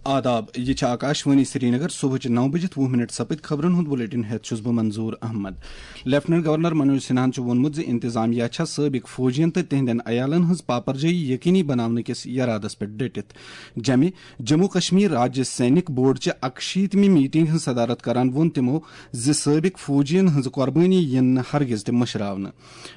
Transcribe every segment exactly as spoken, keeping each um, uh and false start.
آداب، یہِ چھِ آکاشوانی سرینگر۔ صبحٕچہِ نَو بجِتھ وُہ منٹ سپٕدۍ خبرن ہُنٛد بلیٹن ہٮ۪تھ چھُس بہٕ منظور احمد۔ لیفٹننٹ گورنر منوج سنہاہن چھُ ووٚنمُت زِ انتظامیہ چھےٚ سٲبق فوجین تہٕ تِہنٛدٮ۪ن عیالن ہٕنٛز پاپرجٲیی یقینی بناونہٕ کِس یرادس پٮ۪ٹھ ڈٔٹِتھ۔ جمہِ جموں کشمیر راجیہ سینک بورڈ چہِ اکشیٖتمہِ میٹنگ ہٕنٛز صدارت کران ووٚن تِمو زِ سٲبق فوجین ہٕنٛز قربٲنی یِن نہٕ ہرگز تہِ مٔشراونہٕ۔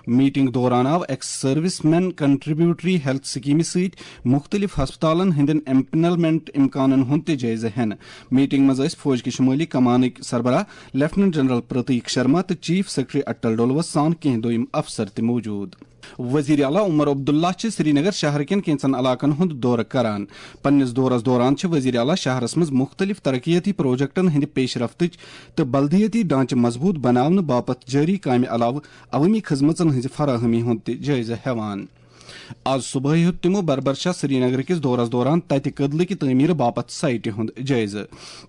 میٹنگ دوران آو ex service men contributory health سکیمہِ سۭتۍ مُختٔلِف ہسپتالن ہٕنٛدٮ۪ن امپلمنٹ امکانن ہُنٛد تہِ جٲیزٕ ہٮ۪نہٕ۔ میٹنگ منٛز ٲسۍ فوج کہِ شمٲلی کمانٕکۍ سربراہ لیفٹننٹ جنرل پرتیک شرما تہٕ چیف سیکرٹری اٹل ڈولوس سان کینٛہہ دوٚیِم افسر تہِ موجود۔ وزیر اعلیٰ عمر عبداللہ چھِ سرینگر شہر کٮ۪ن کینٛژن علاقن ہُنٛد دورٕ کران۔ پننِس دورس دوران چھِ وزیر اعلیٰ شہرس منٛز مُختٔلِف ترقیتی پروجیکٹن ہٕنٛدِ پیش رفتٕچ تہٕ بلدیٲتی ڈھانچہٕ مضبوٗط بناونہٕ باپتھ جٲری کامہِ علاوٕ عوٲمی خدمژن ہٕنٛزِ فراہمی ہُنٛد تہِ جٲیزٕ ہٮ۪وان۔ آز صبحٲے ہیوٚت تِمو بربرشاہ سرینگر کِس دورس دوران تتہِ کٔدلہٕ کہِ تعمیٖرٕ باپتھ سایٹہِ ہُنٛد جٲیزٕ۔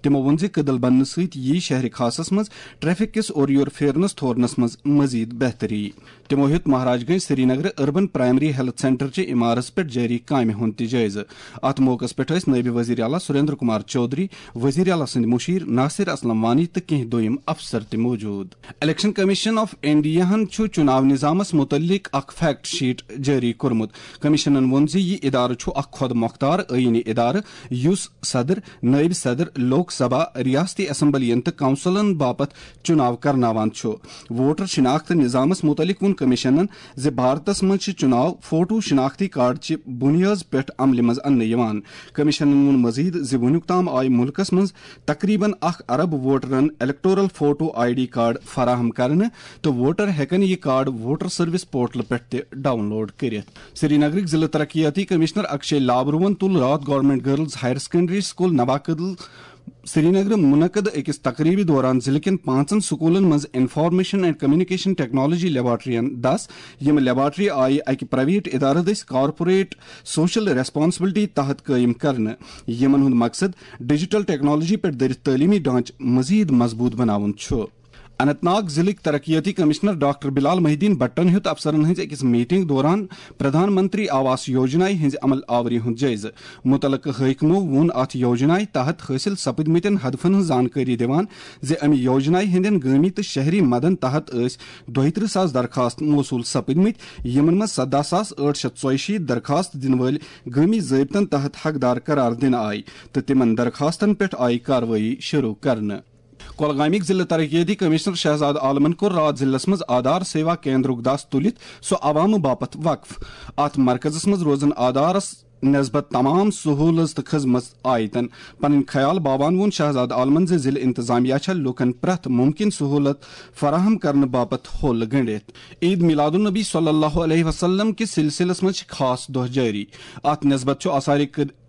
تِمو ووٚن زِ کٔدٕل بننہٕ سۭتۍ یِیہِ شہرِ خاصس منٛز ٹریفک کِس اورٕ یور پھیرنس تھورنس منٛز مزید بہتری۔ تِمو ہیوٚت Maharaj Ganj Srinagar urban primary health centre چہِ عمارژ پٮ۪ٹھ جٲری کامہِ ہُنٛد تہِ جٲیزٕ۔ اتھ موقعس پٮ۪ٹھ ٲسۍ نٲیِب وزیر اعلیٰ سریندر کمار چودھری، وزیر اعلیٰ سٕنٛدۍ مُشیر ناصر اسلم وانی تہٕ کینٛہہ دوٚیِم افسر تہِ موجود۔ الیکشن کمیشن آف انڈیاہن چھُ چُناو نظامس مُتعلق اکھ فیکٹ شیٹ جٲری کوٚرمُت۔ کمیشنن ووٚن زِ یہِ ادارٕ چھُ اکھ خۄد مۄختار ٲیٖنی ادارٕ یُس صدر، نٲیِب صدر، لوک سبھا، ریاستی اسمبلین تہٕ کونسلن باپتھ چُناو کرناوان چھُ۔ ووٹر شناخت نظامس مُتعلق ووٚن کمیشنن زِ بھارتس منٛز چھِ چُناو فوٹو شناختی کارڈ چہِ بُنیٲز پٮ۪ٹھ عملہِ منٛز اننہٕ یِوان۔ کمیشنن ووٚن مزید زِ وُنیُک تام آیہِ مُلکس منٛز تقریباً اکھ ارب ووٹرن electoral photo I D card فراہم کرنہٕ تہٕ ووٹر ہٮ۪کن یہِ کارڈ ووٹر سروس پورٹل پٮ۪ٹھ تہِ ڈاؤن لوڈ کٔرِتھ۔ سرینگرٕکۍ ضلع ترقیاتی کمشنر اکشے لابروہن تُل راتھ government girls higher secondary school Nawakadal سرینگرٕ منعقد أکِس تقریبہِ دوران ضلعہٕ کٮ۪ن پانٛژن سکوٗلن منٛز انفارمیشن اینڈ کمیونیکیشن ٹیکنالوجی لیبارٹرین دس، یِم لیبارٹری آیہِ اکہِ پرائیویٹ ادارٕ دٔسۍ کارپوریٹ سوشل ریسپانسبلٹی تحت قٲیِم کرنہٕ، یِمن ہُنٛد مقصد ڈیجیٹل ٹیکنالوجی پٮ۪ٹھ دٔرِتھ تعلیمی ڈھانچہٕ مزید مضبوٗط بناوُن چھُ۔ اننت ناگ ضلعٕکۍ ترقیاتی کمشنر ڈاکٹر بلال محی الدین بٹن ہیوٚت افسرن ہٕنٛزِ أکِس میٹنگ دوران پردھان منتری آواس یوجنایہِ ہٕنٛزِ عمل آوری ہُنٛد جٲیزٕ۔ مُتعلقہٕ حٲکمو ووٚن اتھ یوجنایہِ تحت حٲصِل سپٕدمٕتٮ۪ن ہدفن ہٕنٛز زانکٲری دِوان زِ امہِ یوجنایہِ ہٕنٛدٮ۪ن گٲمی تہٕ شہری مدن تحت ٲسۍ دۄیہِ ترٕٛہ ساس درخواست موصول سپٕدمٕتۍ، یِمن منٛز سداہ ساس ٲٹھ شیٚتھ ژۄیہِ شیٖتھ درخواست دِنہٕ وٲلۍ گٲمی ضٲبطن تحت حقدار قرار دِنہٕ آیہِ تہٕ تِمن درخواستن پٮ۪ٹھ آیہِ کاروٲیی شروع کرنہٕ۔ کۄلگامٕکۍ ضلعہٕ ترقیتی کمشنر شہزاد عالمن کوٚر راتھ ضلعس منٛز آدھار سیوا کیندرُک دس تُلِتھ سُہ عوامہٕ باپتھ وقف۔ اتھ مرکزس منٛز روزن آدھارس نسبت تمام سہوٗلژ تہٕ خدمژ آیتن۔ پنٕنۍ خیال باوان ووٚن شہزاد عالمن زِ ضلعہٕ انتظامیہ چھےٚ لوٗکن پرٛٮ۪تھ مُمکِن سہوٗلت فراہم کرنہٕ باپتھ ہوٚل گٔنٛڈِتھ۔ عید میلاد النبی صلی اللہ علیہ وسلم کِس سلسلس منٛز چھِ خاص دۄہ جٲری۔ اتھ نسبت چھُ آثار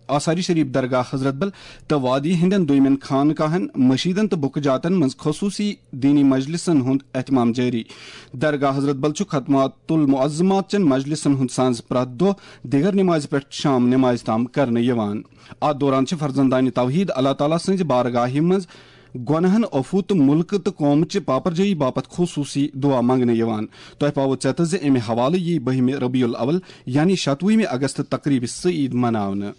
آثار شریف درگاہ حضرت بل تہٕ وادی ہٕنٛدٮ۪ن دوٚیمٮ۪ن خانقاہن، مسجدن تہٕ بُکہٕ جاتن منٛز خصوٗصی دینی مجلسن ہُنٛد اہتمام جٲری۔ درگاہ حضرت بل چھُ ختمات المعظمات چٮ۪ن مجلسن ہُنٛد سانز پرٛٮ۪تھ دۄہ دِگر نمازِ پٮ۪ٹھ شام نمازِ تام کرنہٕ یِوان۔ اتھ دوران چھِ فرزندانِ توحید اللہ تعالیٰ سٕنٛزِ بارگاہہِ منٛز گۄناہن عفو تہٕ مُلکہٕ تہٕ قومہٕ چہِ پاپرجٲیی باپتھ خصوٗصی دُعا منٛگنہٕ یِوان۔ تۄہہِ پاوو ژٮ۪تس زِ امہِ حوالہٕ یی بٔہمہِ ربیع الاول یعنی شتوُہمہِ اگست تقریبہِ سعید مناونہٕ۔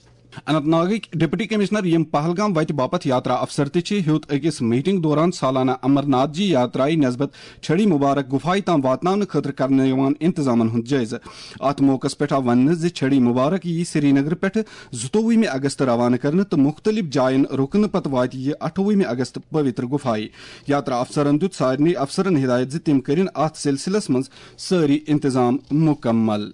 اننت ناگٕکۍ ڈپٹی کمشنر، یِم پہلگام وتہِ باپتھ یاترا افسر تہِ چھِ، ہیوٚت أکِس میٹنگ دوران سالانہ امرناتھ جی یاترایہِ نسبت چھڑی مبارک گفایہِ تام واتناونہٕ خٲطرٕ کرنہٕ یِوان انتظامن ہُنٛد جٲیزٕ۔ اتھ موقعس پٮ۪ٹھ آو وننہٕ زِ چھڑی مبارک یِیہِ سرینگرٕ پٮ۪ٹھٕ زٕتووُہمہِ اگست روانہٕ کرنہٕ تہٕ مُختٔلِف جاین رُکنہٕ پتہٕ واتہِ یہِ اَٹھووُہمہِ اگست پویتر گفایہِ۔ یاترا افسرن دیُت سارنٕے افسرن ہدایت زِ تِم کٔرِن اتھ سلسلس منٛز سٲری انتظام مُکمل۔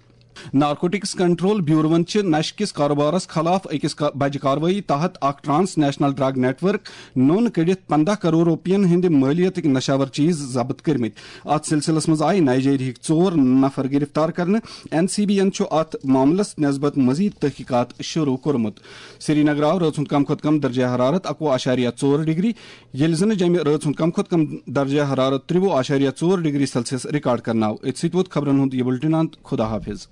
نارکوٹکس کنٹرول بیوروَن چھِ نشہٕ کِس کاروبارس خلاف أکِس کا-، بجہِ کاروٲیی تحت اکھ transnational drug network نوٚن کٔڑِتھ پنٛداہ کرور رۄپین ہٕنٛدِ مٲلیتٕکۍ نشاور چیز ضبط کٔرمٕتۍ۔ اتھ سلسلس منٛز آیہِ نائیجیریاہٕکۍ ژور نفر گرفتار کرنہٕ۔ این سی بی یَن چھُ اتھ معاملس نسبت مزید تحقیقات شروع کوٚرمُت۔ سرینگر آو رٲژ ہُنٛد کم کھۄتہٕ کم درجہ حرارت اکوُہ اعشاریہ ژور ڈگری، ییٚلہِ زن جمہِ رٲژ ہُنٛد کم کھۄتہٕ کم درجہ حرارت ترٛوُہ اعشاریہ ژور ڈگری سیلسیس ریکارڈ کرنہٕ آو۔ أتھۍ سۭتۍ ووت خبرن ہُنٛد یہِ بُلٹن اند۔ خدا حافظ۔